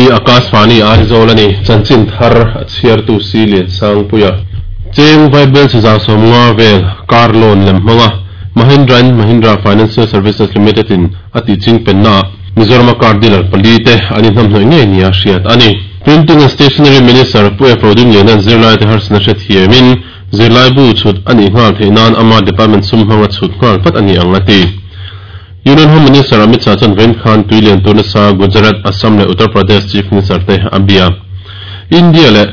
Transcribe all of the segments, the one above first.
Hei hi Akashvani Aizawl a ni, chanchin thar a chhiartu si Liansangpuia. Cheng Vaibel chhe 150 vel car loan lem hmanga Mahindra and Mahindra Financial Services Limited in a tih ching pennaah Mizorama car dealer pali te an inhnamhnawih ngei nia hriat a ni. Printing and Stationery Minister Pu F. Rodingliana'n zirlaite harsatna hrethiamin zirlaibu chhut a nih nghal theih nan ama department sum hmanga chhut nghal vat a ni ang a ti. Union Home Minister Amit Shah chuan vawiin khan tui lian tur nasa Gujarat, Assam leh Uttar Pradesh Chief Minister te a bia. India leh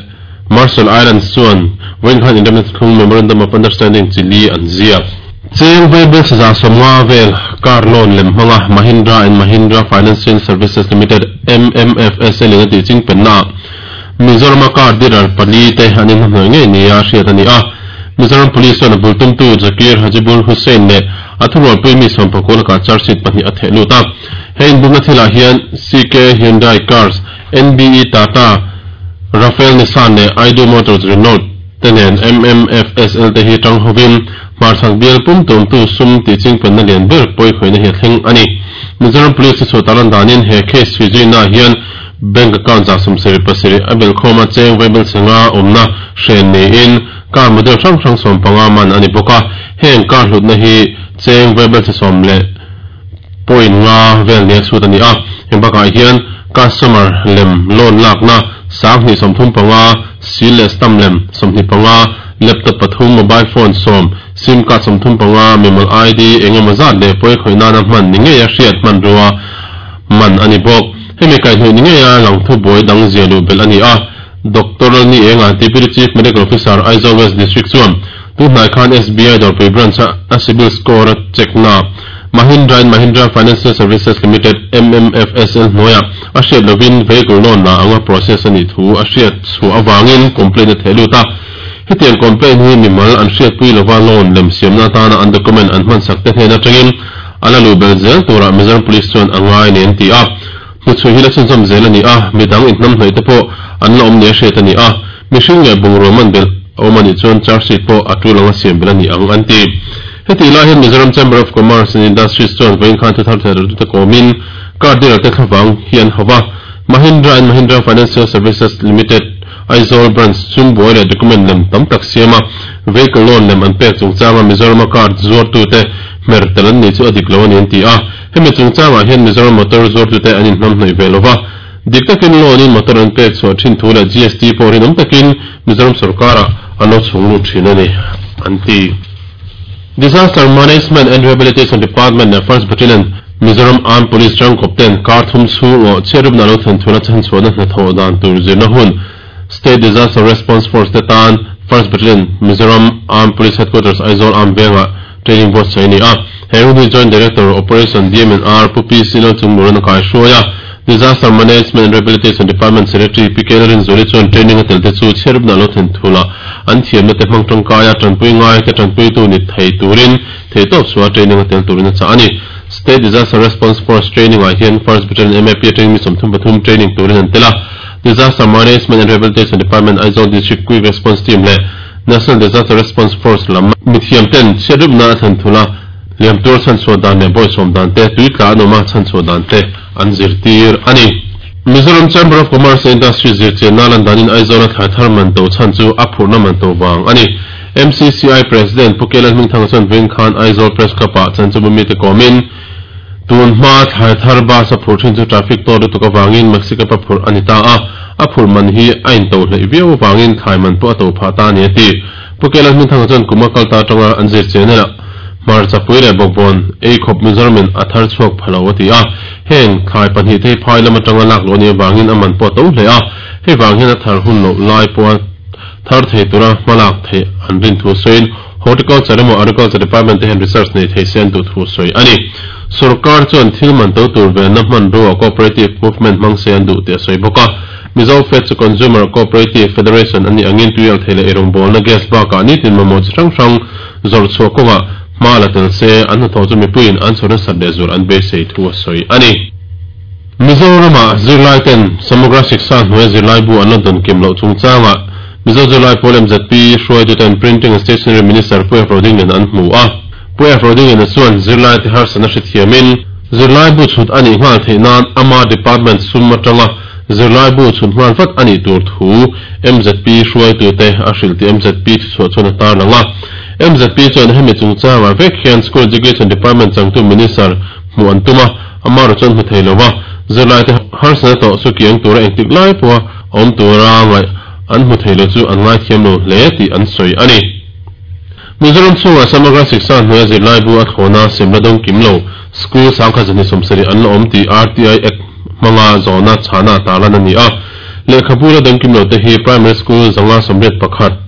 Marshall Islands chuan vawiin khan inremna thlung Memorandum of Understanding chi li an ziak. Cheng vaibel 150 vel car loan lem hmanga Mahindra and Mahindra Financial Services Limited, MMFSL, in a tih ching pennaah Mizorama car dealer pali te an inhnahnawih ngei nia hriat a ni a. Mizoram Police chuan a bul tumtu Zakir Hajibur Hussain leh a thurualpui mi sawmpakua lakah charge sheet pahnih a theh lut a. He inbumna thilah hian CK Hyundai Cars, NBE Tata, Rafael Nissan leh Aidu Motors Renault te nen MMFSL te hi tang hovin hmarchhak bial pum tumtu sum tih chingpenna lian ber pawikhawihna hi a thleng a ni. Mizoram Police te chhuah tarlan danin he case chhui zuina hian Bank account 77 a belhkhawm a cheng vaibel chhenga awmna hren niin car model hrang hrang 15 man a ni bawk a, heng car hlutna hi cheng vaibel chhe sawm leh point nga vel nia chhut a ni a. Heng bakah hian customer lem loan lakna 2035, seal leh stamp lem 25, laptop pathum, mobile phone 10, sim card 35, mimal ID eng emaw zat leh pawi khawih nana hman ni ngeia hriat hmanrua man a ni bawk. Hemi kaihhnawih ni ngeia lang thubuai dang zia luh belh a ni a. Doctor Lalni Enga, Deputy Chief Medical Officer, Aizawl West District chuan tunhnai khan SBI Dawrpui Branch a a CIBIL score a check na Mahindra and Mahindra Financial Services Limited, MMFSL, hnuaiah a hriat lovin vehicle loan la anga process a nih thu a hriat chhuah avangin complaint a theh lut a. Hetiang complaint hi mimal an hriatpui lova loan lem siamna atana an document an hmansak te hnen atangin A la luh belh zel turah Mizoram Police chuan a ngai nen an ti a. Hnuchhui hi la chhunzawm zel a ni a, midang inhnamhnawih te pawh an la awm nia hriat a ni a. Mihring leh bungraw man belh a awm a nih chuan charge sheet pawh a tul anga siam belh a ni ang an ti. Hetih lai hian Mizoram Chamber of Commerce and Industries chuan vawiin khan thuthar theih kawmin car dealer te thlavang hi an hauh a. Mahindra and Mahindra Financial Services Limited, Aizawl Branch sum buai leh document lem tam tak siam a, vehicle loan lem an pek chungchanga Mizorama car zuartute hmer tel an nih chu a dik lo a ni an ti a. Hemi chungchangah hian Mizoram motor zuartute an inhnamhnawih ve lo va, dik takin loan in motor an pek chhuah thin thu leh GST pawh rinawm takin Mizoram sorkarah an lo chhung lut thin a ni an ti. Disaster Management and Rehabilitation Department leh First Battalion, Mizoram Armed Police tangkawp ten kar thum chhung aw chhiatrupna lo thlen thuna chhanchhuahna hnathawh dan tur zirna hun State Disaster Response Force te tan First Battalion, Mizoram Armed Police Headquarters, Aizawl Armed Vengah training buatsaih a ni a. He hun hi Joint Director, Operation, DMNR, Pu PC Lalchungmuran a kaihruai a. Disaster Management and Rehabilitation Department Secretary Pi K Lalrinzuali chuan training a tel te chu chhiatrupna lo thlen thula an thiamna te hmang tangkaia tanpui ngai te tanpuitu ni thei turin theihtawp chhuah training a tel turin a chah a ni. State Disaster Response Force training ah hian First Battalion MAP atangin mi 33 training turin an tel a. Disaster Management and Rehabilitation Department Aizawl District Quick Response Team leh National Disaster Response Force lam mithiam ten chhiatrupna a thlen thula liam tur chhanchhuah dan leh bawihsawm dan te, tui tla an awm a chhanchhuah dan te an zirtir a ni. Mizoram Chamber of Commerce and Industry zirchianna lan danin Aizawla thlai thar man to chhan chu a phurhna man to vang a ni. MCCI President Pu Kelan Hmingthanga chuan vawiin khan Aizawl Press Club-ah chanchinbu mite kawmin tun hma thlai thar bus a phurh thin chu traffic tawt lutuk avangin Maxi Cab a phurh a ni ta a, a phurh man hi a into hleih viau avangin thlai man pawh a to phah ta a ni a ti. Pu Kelan Hmingthanga chuan kum a kal ta atanga an zirchian elah hmarchapui leh bawkbawn ei khawp Mizoramin a thar chhuak pha lo a ti a, heng thlai pahnih te hi phai lam atanga lak luh a nih avangin a man pawh a to hle a, hei vang hian a thar hun loh lai pawha thar thei tura hmalak theih an rin thu sawiin Horticulture emaw Agriculture Department te hian research nei thei se an duh thu sawi a ni. Sorkar chuan thil man to tur venna hmanrua cooperative movement hmang se an duh tih a sawi bawk a. Mizo Fed chu Consumer Cooperative Federation an nih angin tuial thei leh eirawngbawlna gas bakah nitin mamawh chi hrang hrang zawrh chhuah kawngah hma la tel se an hnathawh chu mipuiin an chhawr nasat leh zual an beisei thu a sawi a ni. Mizorama zirlai ten Samagra Shiksha hnuaia zirlai bu an la dawn kim loh chungchangah Mizo zirlai pawl MZP hruaituten Printing and Stationery Minister Pu F. Rodinglian an hmu a. Pu F. Rodingliana chuan zirlai te harsatna hrethiamin zirlai bu chhut a nih nghal theih nan ama department sum atanga Zirlaibu chhun nghal vat a nih tur thu mzp hruaitute a hrilh tih mzp thuchhuah chuan a tarlang a. Mzp chuan hemi chungchangah vek hian School Education Department changtu Minister hmuh an tum a, amaherawh chuan hmu thei lo va, zirlaite harsatna tawh chu kiang tura engtik lai pawha awm tura ngaih an hmu thei lo chu an ngaithiam lo hle tih an sawi a ni. Mizoram chhungah Samagra Shiksha hnuaia zirlaibu a thlawna semna dawng kim lo School 1770 an la awm tih RTI Act hmanga zawhna chhana tarlan a ni a. Lehkhabu la dawng kim lo te hi Primary School 581,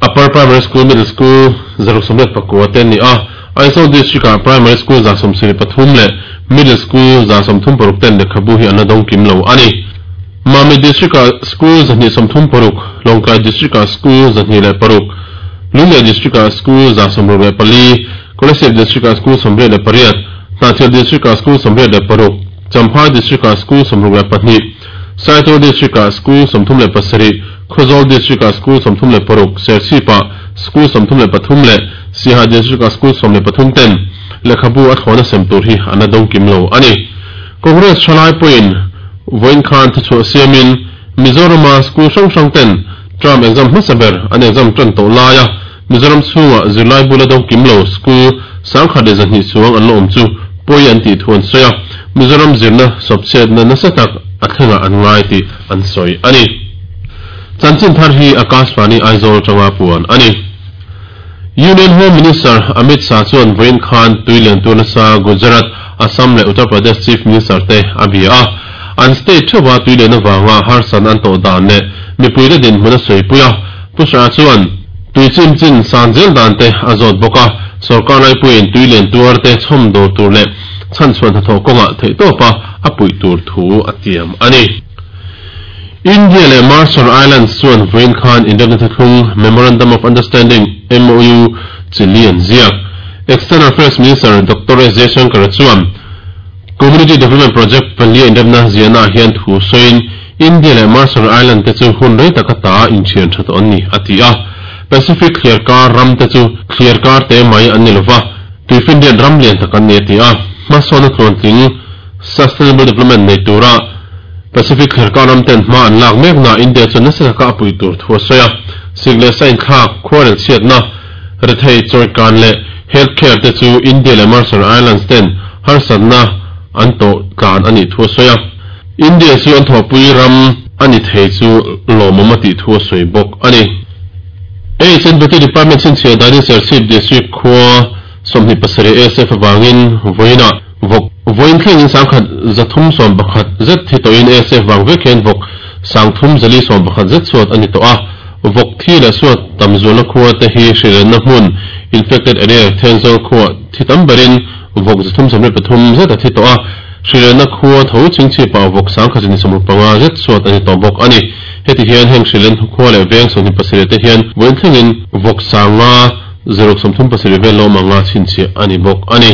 Upper Primary School, Middle School 689 te an ni a. Aizawl District-ah Primary School 173 leh Middle School 136 ten lehkhabu hi an la dawng kim lo a ni. Mami District-ah School 236, Lawngtlai District-ah School 206, Lunglei District-ah School 164, Kolasib District-ah School 88, Hnahthial District-ah School 86, Champhai District-ah School 62, Saitual District-ah School 37, Khawzawl District-ah School 36, Serchhip-ah School 33 leh Siaha District-ah School 13 ten lehkhabu a thlawna sem tur hi an la dawng kim lo a ni. Congress thalai pawhin vawiin khan thuchhuah siamin Mizorama school hrang hrang ten term exam hmasa ber an exam tan tawh laia Mizoram chhunga zirlai bula dawng kim lo school 1200 chuang an la awm chu pawi an tih thu an sawi a, Mizoram zirna sawpchhiatna nasa tak a thlengah an ngai tih an sawi a ni. Chanchin thar hi Akashvani Aizawl atanga puan a ni. Union Home Minister Amit Shah chuan vawiin khan tui lian tur nasa Gujarat, Assam leh Uttar Pradesh Chief Minister te a bia a. An state theuha tui lian avanga harsatna an tawh dan leh mipuite dinhmun a sawipui a. Pu Shah chuan tui chim chin san zel dan te a zawt bawk a, sorkar laipuiin tui lian tuar te chhawm dawr tur leh chhanchhuah hnathawh kawngah theihtawpa a puih tur thu a tiam a ni. India leh Marshall Islands chuan vawiin khan inremna thuthlung, Memorandum of Understanding, MOU, chi li an ziak. External Affairs Minister Doctor S Jaishankar chuan Community Development Project palia inremna ziahnaah hian thu sawiin India leh Marshall Island te chu hun rei taka ta inthian tha tawh an ni, a ti a. Pacific thliarkar ram te chu thliarkar te mai an ni lova, tuifinriat ram lian tak an ni, a ti a. Hmasawnna tluantling Sustainable Development nei tura Pacific thlerkar ram ten hma an lak mek na India chuan nasa taka a pui tur thu a sawi a. Sik leh sa inthlak, khuarel chhiatna, rethei chawikan leh health care te chu India leh Marshall Islands ten harsatna an tawh tlan a nih thu a sawi a. India chu an thawhpui ram a ni thei chu lawmawm a tih thu a sawi bawk a ni. HNBT Department chhinchhiah danin Serchhip District khua 27 ASF avangin vawiinah vawk vawiin thlengin 1311 zet thi tawhin ASF vang vek hian vawk 3411 zet suat a ni tawh a. Vawk thi leh suat tam zualna khua te hi hrilenna hmun, infected area, Thenzawl khuah thi tam berin vawk 373 zet a thi tawh a. Hrilenna khua tho chingchhipah vawk 1265 zet suat a ni tawh bawk a ni. Heti hian heng hrilen khua leh veng 27 te hian vawiin thlengin vawk 5 637 vel lawm anga chhinchhiah a ni bawk a ni.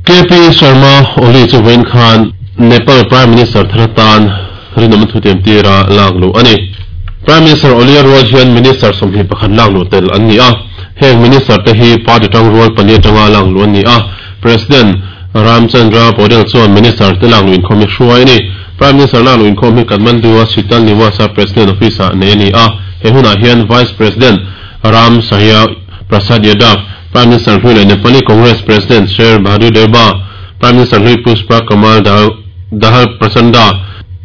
KP Sharma Oli chu vawiin khan Nepal Prime Minister thar atan rinawm thutiam tira lak luh a ni. Prime Minister Oli a rual hian Minister 21 lak luh tel an ni a. Heng Minister te hi party tang rual pali atanga lak luh an ni a. President Ramchandra Paudel chuan Minister te lak luh inkhawm hi hruai a ni. Prime Minister lak luh inkhawm hi Kathmandu-a Sital Niwas-a President Office-ah nei a ni a. He hunah hian Vice President Ram Sahya Prasad Yadav, Prime Minister hlui leh Nepali Congress President Sher Bahadur Deuba, Prime Minister hlui Pushpa Kamal Dahal Prachanda,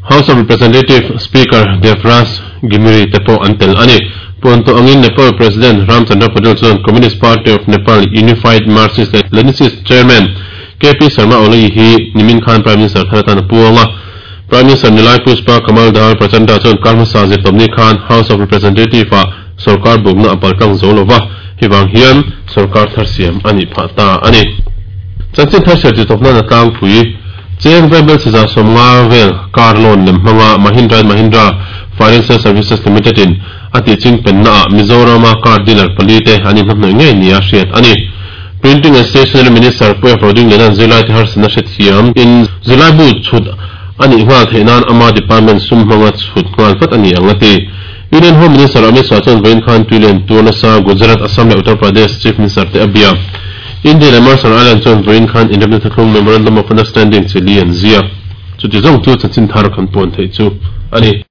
House of Representative Speaker Devraj Ghimire te pawh an tel a ni. Puan tawh angin Nepal President Ram Chandra Paudel chuan Communist Party of Nepal Unified Marxist leh Leninist Chairman KP Sharma Oli hi nimin khan Prime Minister thar atan a puang a. Prime Minister Nilai Pushpa Kamal Dahal Prachanda chuan kar hmasa zirtawpni khan House of Representative-ah Sorkar bukna a paltlang zo lova, hei vang hian sorkar thar siam a nih phah ta a ni. Chanchin thar siam titawp nan a tlangpui cheng vaibel chiza 50 vel car loan lem hmanga Mahindra and Mahindra Financial Services Limited in a tih ching penna ah Mizorama car dealer pali te an inhnamhnawih ngei nia hriat a ni. Printing and Stationery Minister Pu F. Rodingliana'n zirlai te harsatna hrethiam in zirlai bu chhut a nih nghal theih nan ama department sum hmanga chhut nghal vat a ni ang a ti. Union Home Minister Amit Shah chuan vawiin khan tuilian tur nasa Gujarat, Assam leh Uttar Pradesh Chief Minister te a bia. India leh Marshall Island chuan vawiin khan inremna thuthlung Memorandum of Understanding chi li an ziak. Chuti zawng chu chanchin thar kan puan theih chu a ni.